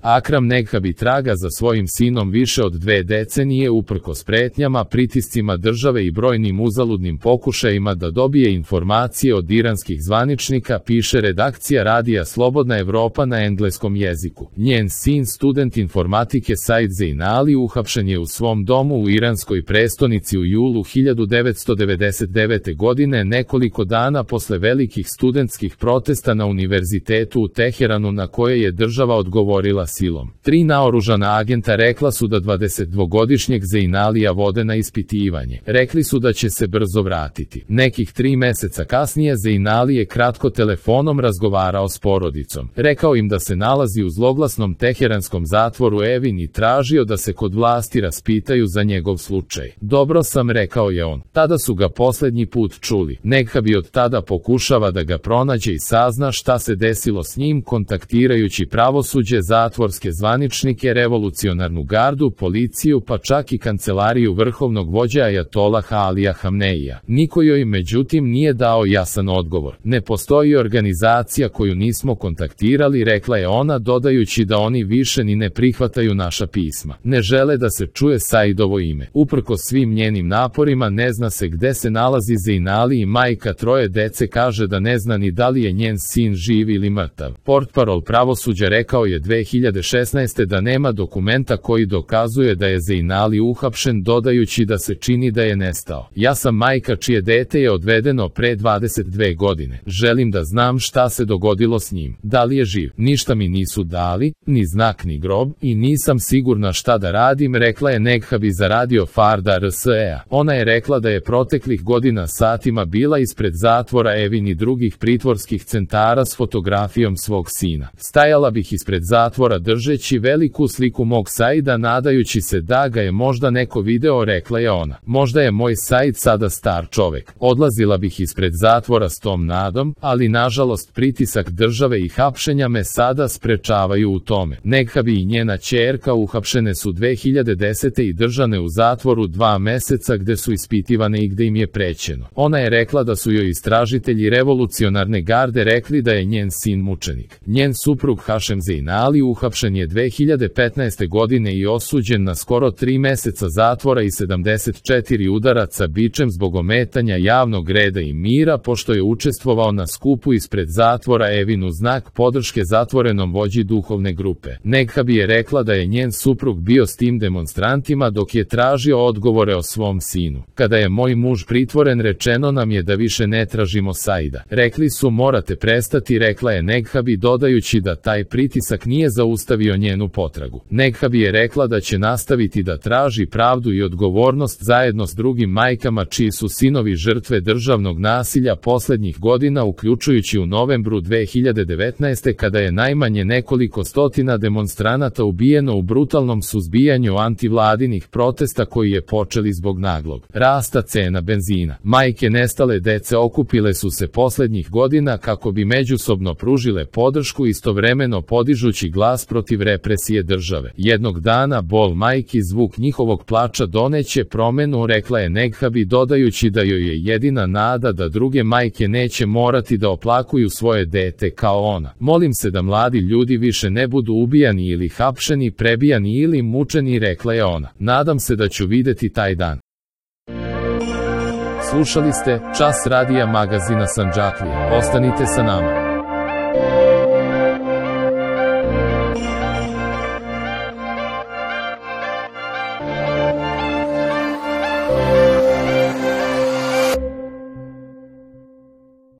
Akram Neghabi traga za svojim sinom više od 2 decenije uprkos pretnjama, pritiscima države i brojnim uzaludnim pokušajima da dobije informacije od iranskih zvaničnika, piše redakcija radija Slobodna Evropa na engleskom jeziku. Njen sin, student informatike Said Zeinali, uhapšen je u svom domu u iranskoj prestonici u julu 1999. godine, nekoliko dana posle velikih studentskih protesta na univerzitetu u Teheranu na koje je država odgovorila silom. 3 naoružana agenta rekla su da 22-godišnjeg Zeinalija vode na ispitivanje. Rekli su da će se brzo vratiti. Nekih 3 meseca kasnije Zeinali je kratko telefonom razgovarao s porodicom. Rekao im da se nalazi u zloglasnom teheranskom zatvoru Evin i tražio da se kod vlasti raspitaju za njegov slučaj. Dobro sam, rekao je on. Tada su ga posljednji put čuli. Neghabi od tada pokušava da ga pronađe i sazna šta se desilo s njim, kontaktirajući pravosuđe, zatvorske zvaničnike, revolucionarnu gardu, policiju, pa čak i kancelariju vrhovnog vođa ajatolaha Alija Hamneija. Niko joj međutim nije dao jasan odgovor. Ne postoji organizacija koju nismo kontaktirali, rekla je ona, dodajući da oni više ni ne prihvataju naša pisma. Ne žele da se čuje Saidovo ime. Uprkos svim njenim naporima ne zna se gde se nalazi Zeinali i majka 3 dece kaže da ne zna ni da li je njen sin živ ili mrtav. Portparol pravosuđa rekao je 2016. da nema dokumenta koji dokazuje da je Zeinali uhapšen, dodajući da se čini da je nestao. Ja sam majka čije dete je odvedeno pre 22 godine. Želim da znam šta se dogodilo s njim. Da li je živ? Ništa mi nisu dali, ni znak ni grob, i nisam sigurna šta da radim, rekla je Neghabi za radio Farda RSE-a. Ona je rekla da je proteklih godina satima bila ispred zatvora Evin i drugih pritvorskih centara s fotografijom svog sina. Stajala bih ispred zatvora držeći veliku sliku mog Saida, nadajući se da ga je možda neko video, rekla je ona. Možda je moj Said sada star čovek. Odlazila bih ispred zatvora s tom nadom, ali nažalost pritisak države i hapšenja me sada sprečavaju u tome. Neghabi i njena ćerka uhapšene su 2010. i držane u zatvoru 2 meseca gde su ispitivane i gde im je prećeno. Ona je rekla da su joj istražitelji revolucionarne garde rekli da je njen sin mučenik. Njen suprug Hašem Zeinali uhapšen je 2015. godine i osuđen na skoro 3 meseca zatvora i 74 udaraca bičem zbog ometanja javnog reda i mira, pošto je učestvovao na skupu ispred zatvora Evin u znak podrške zatvorenom vođi duhovne grupe. Neghabi je rekla da je njen suprug bio s tim demonstrantima dok je tražio odgovore o svom sinu. Kada je moj muž pritvoren, rečeno nam je da više ne tražimo Saida. Rekli su morate prestati, rekla je Neghabi, dodajući da taj pritisak nije zaustavio njenu potragu. Neghabi je rekla da će nastaviti da traži pravdu i odgovornost zajedno s drugim majkama čiji su sinovi žrtve državnog nasilja poslednjih godina, uključujući u novembru 2019. kada je najmanje nekoliko stotina demonstranata ubijeno u brutalnom suzbijanju antivladinih protesta koji je počeli zbog naglog rasta cena benzina. Majke nestale dece okupile su se poslednjih godina kako bi međusobno pružile podršku, istovremeno podižući glas protiv represije države. Jednog dana bol majki, zvuk njihovog plača doneće promenu, rekla je Neghabi, dodajući da joj je jedina nada da druge majke neće morati da oplakuju svoje dete kao ona. Molim se da mladi ljudi više ne budu ubijani ili hapšeni, prebijani ili mučeni, rekla je ona. Nadam se da ću videti taj dan. Slušali ste Čas radija magazina Sandžaklija. Ostanite sa nama.